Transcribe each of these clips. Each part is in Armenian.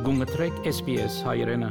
Գունգտրեք SPS հայրենը։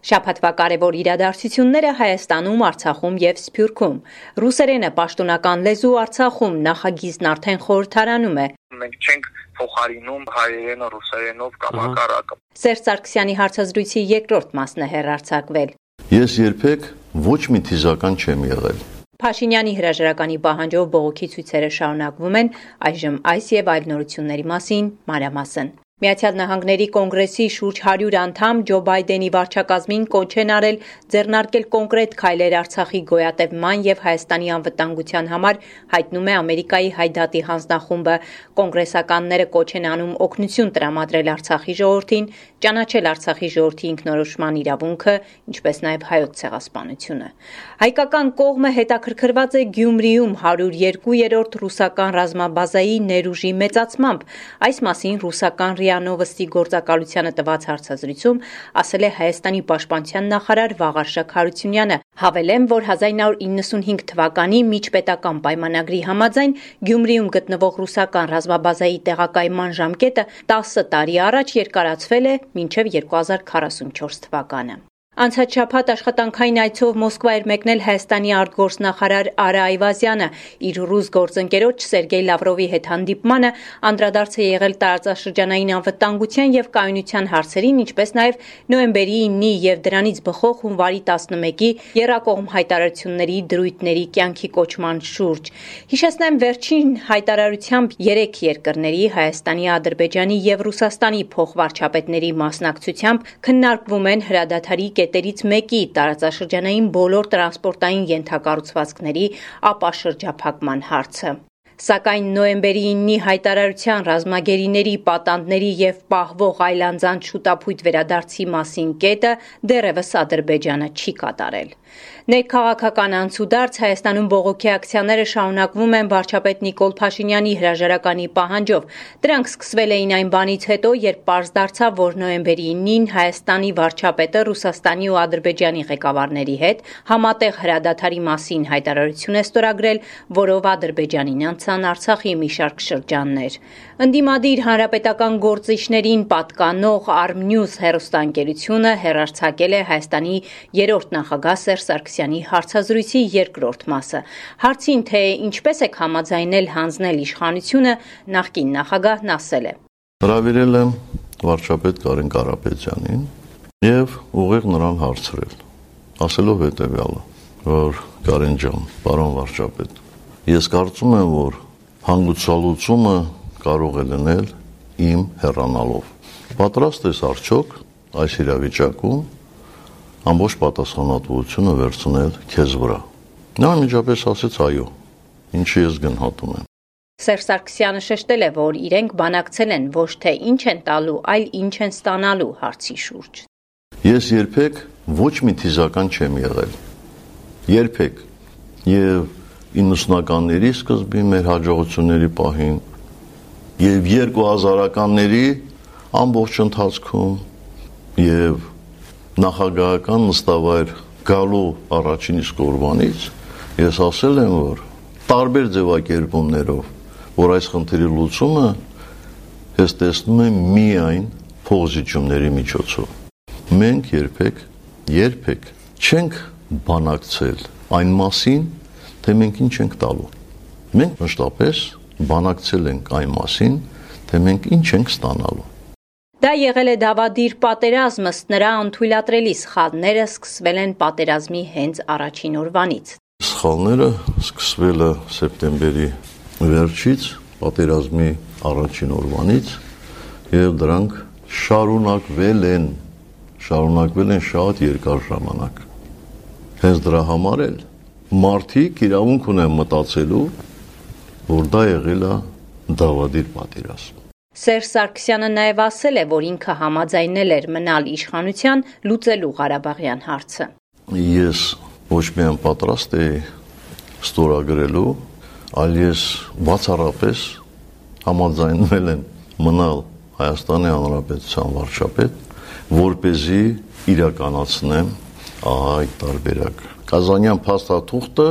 Շաբաթվա կարևոր իրադարձությունները Հայաստանում, Արցախում եւ Սփյուռքում։ Ռուսերենը պաշտոնական լեզու Արցախում նախագիծն արդեն խորհրդարանում է։ Մենք չենք փոխարինում հայերենը ռուսերենով կամ հակառակը։ Սերժ Սարգսյանի հարցազրույցի երկրորդ մասն է հեռարձակվել։ Ես երբեք ոչ մի թիզական չեմ եղել։ Փաշինյանի հրաժարականի պահանջով բողոքի ցույցերը շարունակվում են, այժմ այս եւ այլ նորությունների մասին մանրամասն։ Միացյալ Նահանգների կոնգրեսի շուրջ 100 անդամ Ջո Բայդենի վարչակազմին կոչ են արել ձեռնարկել կոնկրետ քայլեր Արցախի գոյատևման եւ Հայաստանի անվտանգության համար, հայտնում է Ամերիկայի Հայդատի հանձնախումբը։ Կոնգրեսականները կոչ են անում օգնություն տրամադրել Արցախի ժողովրդին, ճանաչել Արցախի ժողովրդի ինքնորոշման իրավունքը, ինչպես նաեւ հայոց ցեղասպանությունը։ Հայկական կողմը հետաքրքրված է Գյումրիում 102-րդ ռուսական ռազմաբազայի ներուժի մեծացմամբ։ Այս մասին ռուսական Նովոստի գործակալությանը տված հարցազրույցում ասել է Հայաստանի պաշտպանության նախարար Վաղարշակ Հարությունյանը։ Հավելեմ, որ 1995 թվականի միջպետական պայմանագրի համաձայն Գյումրիում գտնվող ռուսական ռազմաբազայի տեղակայման ժամկետը 10 տարի առաջ երկարացվել է մինչև 2044 թվականը։ Անցած շաբաթ աշխատանքային այցով Մոսկվա էր մեկնել Հայաստանի արտգործնախարար Արա Այվազյանը։ Իր ռուս գործընկերոջ Սերգեյ Լավրովի հետ հանդիպմանը անդրադարձ է եղել տարածաշրջանային անվտանգության եւ կայունության հարցերին, ինչպես նաեւ նոյեմբերի 9-ի եւ դրանից բխող հունվարի 11-ի եռակողմ հայտարարությունների դրույթների կյանքի կոչման շուրջ։ Հիշեցնեմ, վերջին հայտարարությամբ 3 երկրների Հայաստանի, Ադրբեջանի եւ Ռուսաստանի փոխվարչապետների մասնակցությամբ քննարկվում են հրադադարի կետերից մեկի տարածաշրջանային բոլոր տրանսպորտային ենթակառուցվածքների ապաշրջափակման հարցը։ Սակայն նոյեմբերի 9-ի հայտարարության ռազմագերիների, պատանդների եւ պահվող այլանձանց շուտապույտ վերադարձի մասին կետը դեռևս Ադրբեջանը չի կատարել։ Ներքաղաքական անցուդարձ Հայաստանում բողոքի ակցիաները շարունակվում են վարչապետ Նիկոլ Փաշինյանի հրաժարականի պահանջով։ Դրանք սկսվել էին այն բանից հետո, երբ պարզ դարձավ, որ նոյեմբերի 9-ին Հայաստանի վարչապետը Ռուսաստանի ու Ադրբեջանի ղեկավարների հետ համատեղ հրադադարի մասին հայտարարություն է ստորագրել, որով Ադրբեջանին անցան Արցախի մի շարք շրջաններ։ Ընդդիմադիր հանրապետական գործիչներին պատկանող Armnews հեռուստաընկերությունը հեռարձակել է Հայաստանի երրորդ նախագահ Սերժ Սարգսյանի հարցազրույցի երկրորդ մասը։ Հարցին, թե ինչպես եք համաձայնել հանձնել իշխանությունը, նախկին նախագահն ասել է. Հրավիրել եմ վարչապետ Կարեն Կարապետյանին եւ ուղիղ նրան հարցրել, ասելով հետեւյալը, որ Կարեն ջան, պարոն վարչապետ, ես կարծում եմ, որ հանգուցալուծումը կարող է լինել իմ հեռանալով։ Պատրաստ ես արդյոք այս իրավիճակում ամբողջ պատասխանատվությունը վերցնել քեզ վրա։ Նա միջապես ասեց այո, ինչի ես գնահատում եմ։ Սերժ Սարգսյանը շեշտել է, որ իրենք բանակցել են ոչ թե ինչ են տալու, այլ ինչ են ստանալու հարցի շուրջ։ Ես երբեք ոչ մի թիզական չեմ եղել։ Երբեք։ Եվ 90-ականների սկզբին մեր հաջողությունների պահին եւ 2000-ականների ամբողջ ընթացքում եւ նախագահական նստավայր գալու առաջին իսկ օրվանից ես ասել եմ, որ տարբեր ձևակերպումներով, որ այս խնդրի լուծումը ես տեսնում եմ միայն փոխզիջումների միջոցով։ Մենք երբեք չենք բանակցել այն մասին, թե մենք ինչ ենք տալու։ Մենք մշտապես բանակցել ենք այն մասին, թե մենք ինչ ենք ստանալու։ Դա եղել է դավադիր պատերազմ, ըստ նրա անթույլատրելի սխալները սկսվել են պատերազմի հենց առաջին օրվանից։ Սխալները սկսվել է սեպտեմբերի վերջից, պատերազմի առաջին օրվանից, եւ դրանք շարունակվել են շատ երկար ժամանակ։ Հենց դրա համար էլ մարդիկ իրավունք ունեն մտածելու, որ դա եղել է դավադիր պատերազմ։ Սերժ Սարգսյանը նաև ասել է, որ ինքը համաձայնել էր մնալ իշխանության լուծելու Ղարաբաղյան հարցը։ Ես ոչ միայն պատրաստ էի ստորագրելու, այլ ես բացառապես համաձայնվել եմ մնալ Հայաստանի Հանրապետության վարչապետ, որպեսզի իրականացնեմ այդ տարբերակը։ Կազանյան փաստաթուղթը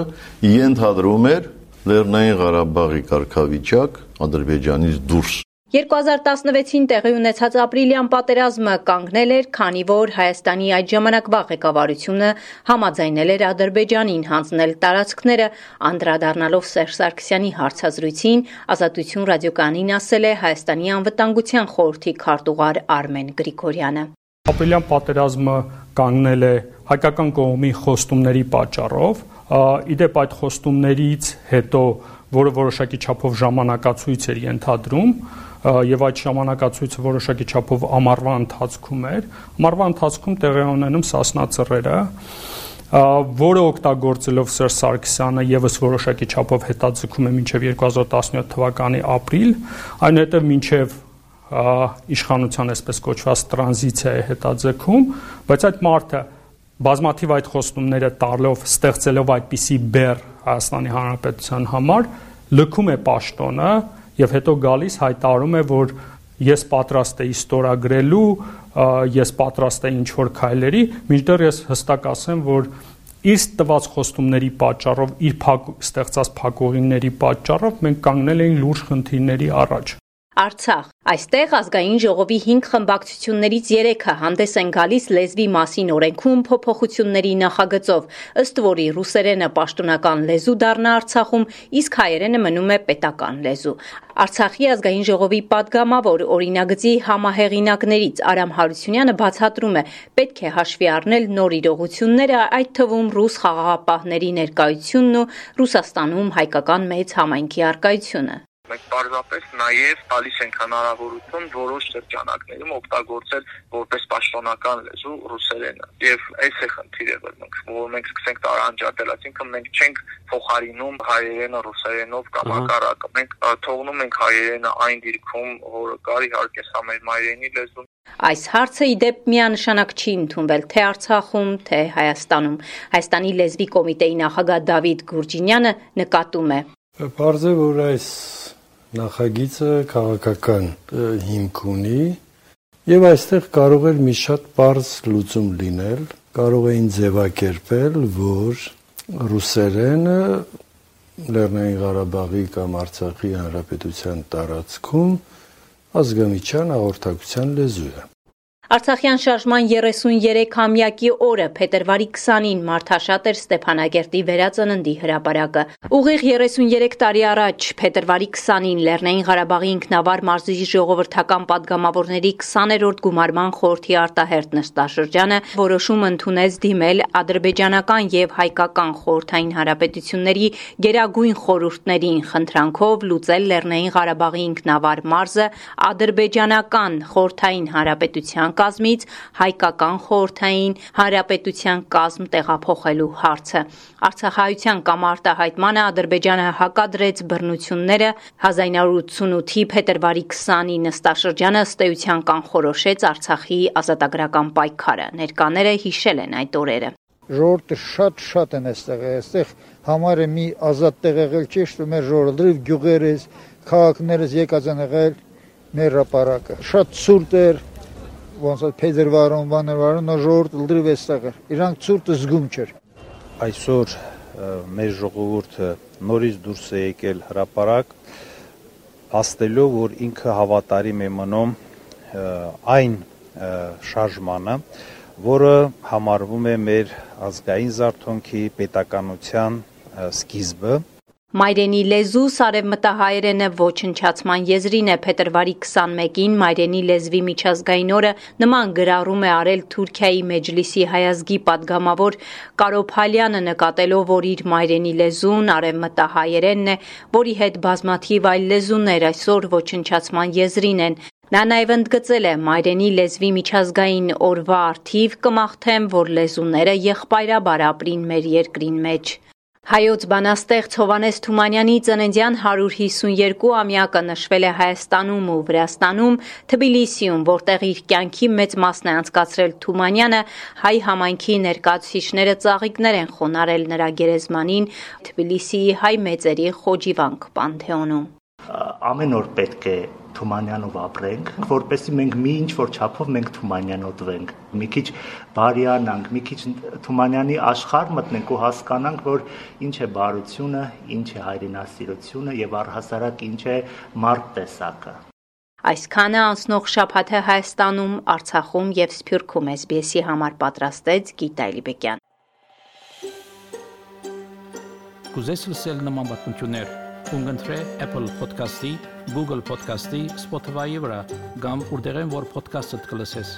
ենթադրում էր Լեռնային Ղարաբաղի կարգավիճակ Ադրբեջանից դուրս։ 2016-ին տեղի ունեցած ապրիլյան պատերազմը կանգնել էր, քանի որ Հայաստանի այդ ժամանակվա ղեկավարությունը համաձայնել էր Ադրբեջանին հանձնել տարածքները, անդրադառնալով Սերժ Սարգսյանի հարցազրույցին, Ազատություն ռադիոկայանին ասել է Հայաստանի անվտանգության խորհրդի քարտուղար Արմեն Գրիգորյանը։ Ապրիլյան պատերազմը կանգնել է հայկական կողմի խոստումների պատճառով, իդեպ այդ խոստումներից հետո, որը որոշակի չափով ժամանակացույց էր ենթադրում, եւ այդ ժամանակացույցը որոշակի չափով ամառվա ընթացքում էր։ Ամառվա ընթացքում տեղի ունենում Սասնա ծռերը, որը օգտագործելով Սերժ Սարգսյանը եւս որոշակի չափով հետաձգում է մինչեւ 2017 թվականի ապրիլ, այնուհետեւ մինչեւ իշխանության այսպես կոչված տրանզիցիա է հետաձգում, բայց այդ մարդը բազմաթիվ այդ խոստումները տալով, ստեղծելով այդպիսի բեռ Հայաստանի Հանրապետության համար, լքում է պաշտոնը եւ հետո գալիս հայտարարում է, որ ես պատրաստ եմ ստորագրելու, ես պատրաստ եմ ինչ-որ քայլերի, մինչդեռ ես հստակ ասեմ, որ իր տված խոստումների պատճառով, իր ստեղծած փակուղիների պատճառով մենք կանգնել ենք լուրջ խնդիրների առաջ։ Արցախ։ Այստեղ ազգային ժողովի 5 խմբակցություններից 3-ը հանդես են գալիս լեզվի մասին օրենքում փոփոխությունների նախագծով, ըստ որի ռուսերենը պաշտոնական լեզու դառնա Արցախում, իսկ հայերենը մնում է պետական լեզու։ Արցախի ազգային ժողովի падգամավոր օրինագծի համահեղինակներից Արամ Հարությունյանը բացատրում է, պետք է հաշվի առնել նոր իրողությունները, այդ թվում ռուս խաղաղապահների ներկայությունն ու Ռուսաստանում հայկական մեծ համայնքի առկայությունը։ Մենք պարզապես նաև տալիս ենք հնարավորություն որոշ շրջանակներում օգտագործել որպես պաշտոնական լեզու ռուսերենը։ Եվ այս է խնդիրը, որ մենք սկսենք տարանջատել, այսինքն մենք չենք փոխարինում հայերենը ռուսերենով կամ հակառակը։ Մենք թողնում ենք հայերենը այն դիրքում, որը կար, իհարկե սա մեր մայրենի լեզուն։ Այս հարցը իդեպ միանշանակ չի ընդունվել թե Արցախում, թե Հայաստանում։ Հայաստանի լեզվի կոմիտեի նախագահ Դավիթ Գուրջինյանը նկատում է. Պարզ է, որ այս նախագիծը քաղաքական հիմք ունի եւ այստեղ կարող էր մի շատ պարզ լուծում լինել, կարող էին ձևակերպել, որ ռուսերենը Լեռնային Ղարաբաղի կամ Արցախի հանրապետության տարածքում ազգամիջյան հաղորդակցության լեզու է։ Արցախյան շարժման 33-ամյակի օրը փետրվարի 20-ին մարդաշատ էր Ստեփանագերտի վերածննդի հրապարակը։ Ուղիղ 33 տարի առաջ փետրվարի 20-ին Լեռնային Ղարաբաղի ինքնավար մարզի ժողովրդական падգամավորների 20-րդ գումարման խորհրդի արտահերթ նստաշրջանը որոշում ընդունեց դիմել ադրբեջանական եւ հայկական խորհրդային հանրապետությունների գերագույն խորհուրդներին խնդրանքով լուծել Լեռնային Ղարաբաղի ինքնավար մարզը ադրբեջանական խորհրդային հանրապետության կազմից հայկական խորհրդային հանրապետության կազմ տեղափոխելու հարցը։ Արցախահայության կամ արտահայտմանը Ադրբեջանը հակադրեց բռնությունները 1988-ի փետրվարի 20-ի նստաշրջանը ըստ էության կանխորոշեց Արցախի ազատագրական պայքարը։ Ներկաները հիշել են այդ օրերը։ Ժողովուրդը շատ են այստեղ համար է մի ազատ տեղ եղել ճիշտ ու մեր ժողովուրդը գյուղերից, քաղաքներից եկած են եղել մեր հրապարակը։ Շատ ցուրտ էր, ոնց որ փետրվարում, բանվարում ժողովուրդը լրիվ այստեղ էր։ Իրանք ցուրտը զգում չէր։ Այսօր մեր ժողովուրդը նորից դուրս է եկել հրապարակ, փաստելով, որ ինքը հավատարիմ է մնում այն շարժմանը, որը համարվում է մեր ազգային զարթոնքի պետականության սկիզբը։ Մայրենի լեզու սարևմտահայերենը ոչնչացման եզրին է փետրվարի 21-ին Մայրենի լեզվի միջազգային օրը նման գրառում է արել Թուրքիայի Մեջլիսի հայազգի падգամավոր Կարո Փալյանը նկատելով, որ իր մայրենի լեզուն արևմտահայերենն է, որի հետ բազմաթիվ այլ լեզուներ այսօր ոչնչացման եզրին են։ Նա նաև ընդգծել է մայրենի լեզվի միջազգային օրվա առթիվ կմաղթեմ, որ լեզուները եղբայրաբար ապրին մեր երկրին մեջ։ Հայոց բանաստեղծ Հովհաննես Թումանյանի ծննդյան 152-ամյակը նշվել է Հայաստանում ու Վրաստանում, Թբիլիսիում, որտեղ իր կյանքի մեծ մասն է անցկացրել Թումանյանը, հայ համայնքի ներկայացուցիչները ծաղիկներ են խոնարհել նրա գերեզմանին Թբիլիսիի հայ մեծերի Խոջիվանք պանթեոնում։ Ամեն օր պետք է Թումանյանով ապրենք, որպեսզի մենք մի ինչ-որ չափով մենք Թումանյանոտվենք, մի քիչ բարիանանք, մի քիչ Թումանյանի աշխարհ մտնենք ու հասկանանք, որ ինչ է բարությունը, ինչ է հայրենասիրությունը եւ առհասարակ ինչ է մարդ տեսակը։ Այսքանը անցնող շաբաթը Հայաստանում, Արցախում եւ Սփյուռքում SBS-ի համար պատրաստեց Գիտա Էլիբեկյան։ Կուզես լսել նման բանություններ, կընտրե Apple Podcast-ի, Google Podcast-ի, Spotify-ի վրա, կամ որտեղեն որ podcast-ը կլսես։